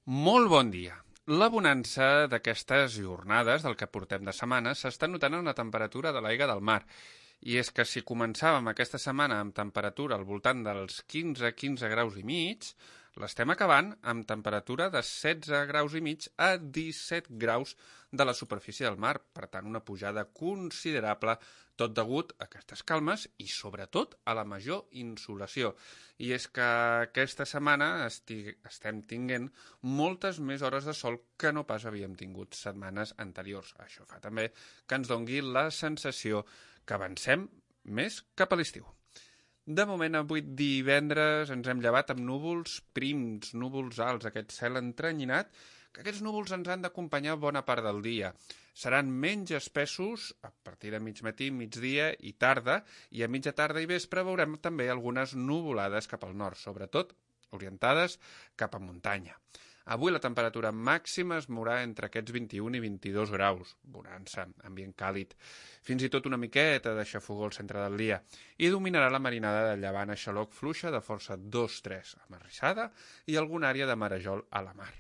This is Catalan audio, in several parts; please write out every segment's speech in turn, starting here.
Molt bon dia. La bonança d'aquestes jornades, del que portem de setmana, s'està notant en la temperatura de l'aigua del mar. I és que si començàvem aquesta setmana amb temperatura al voltant dels 15 graus i mig, l'estem acabant amb temperatura de 16 graus i mig a 17 graus de la superfície del mar. Per tant, una pujada considerable, tot degut a aquestes calmes i, sobretot, a la major insolació. I és que aquesta setmana estem tinguent moltes més hores de sol que no pas havíem tingut setmanes anteriors. Això fa també que ens dongui la sensació que avancem més cap a l'estiu. De moment, avui divendres, ens hem llevat amb núvols prims, núvols alts, aquest cel entrenyinat, que aquests núvols ens han d'acompanyar bona part del dia. Seran menys espessos a partir de mig matí, migdia i tarda, i a mitja tarda i vespre veurem també algunes nuvolades cap al nord, sobretot orientades cap a muntanya. Avui la temperatura màxima es mourà entre aquests 21 i 22 graus, bonança, ambient càlid, fins i tot una miqueta de xafogó al centre del dia, i dominarà la marinada de llevant a xaloc fluixa de força 2-3 a Marissada i alguna àrea de marejol a la mar.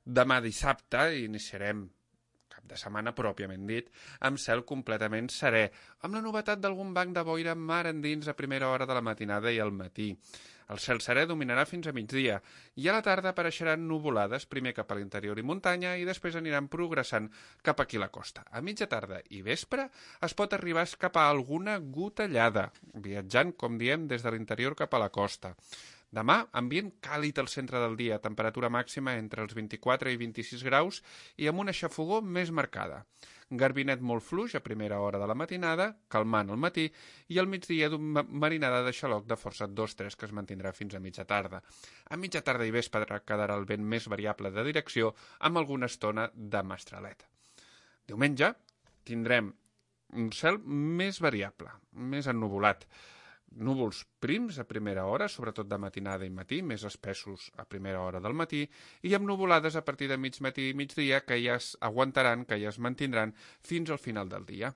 Demà dissabte iniciarem cap de setmana pròpiament dit, amb cel completament serè, amb la novetat d'algun banc de boira mar endins a primera hora de la matinada i al matí. El cel serè dominarà fins a migdia i a la tarda apareixeran nuvolades, primer cap a l'interior i muntanya i després aniran progressant cap aquí a la costa. A mitja tarda i vespre es pot arribar a escapar alguna gotellada, viatjant, com diem, des de l'interior cap a la costa. Demà, ambient càlid al centre del dia, temperatura màxima entre els 24 i 26 graus i amb una xafogó més marcada. Garbinet molt fluix a primera hora de la matinada, calmant al matí, i al migdia d'una marinada de xaloc de força 2-3 que es mantindrà fins a mitja tarda. A mitja tarda i vespre quedarà el vent més variable de direcció amb alguna estona de mestralet. Diumenge tindrem un cel més variable, més ennuvolat. Núvols prims a primera hora, sobretot de matinada i matí, més espessos a primera hora del matí, i amb nuvolades a partir de mig matí i migdia que ja es aguantaran, que ja es mantindran fins al final del dia.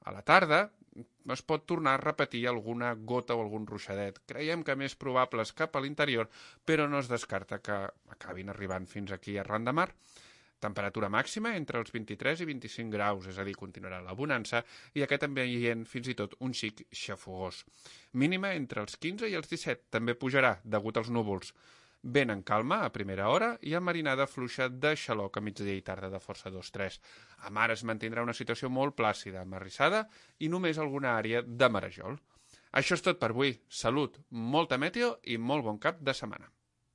A la tarda es pot tornar a repetir alguna gota o algun ruixadet. Creiem que més probables cap a l'interior, però no es descarta que acabin arribant fins aquí arran de mar. Temperatura màxima entre els 23 i 25 graus, és a dir, continuarà la bonança, i aquest ambient fins i tot un xic xafogós. Mínima entre els 15 i els 17, també pujarà degut als núvols. Vent en calma a primera hora i amb marinada fluixa de xaloc a migdia i tarda de força 2-3. A mar es mantindrà una situació molt plàcida, marrissada i només alguna àrea de marejol. Això és tot per avui. Salut, molta meteo i molt bon cap de setmana.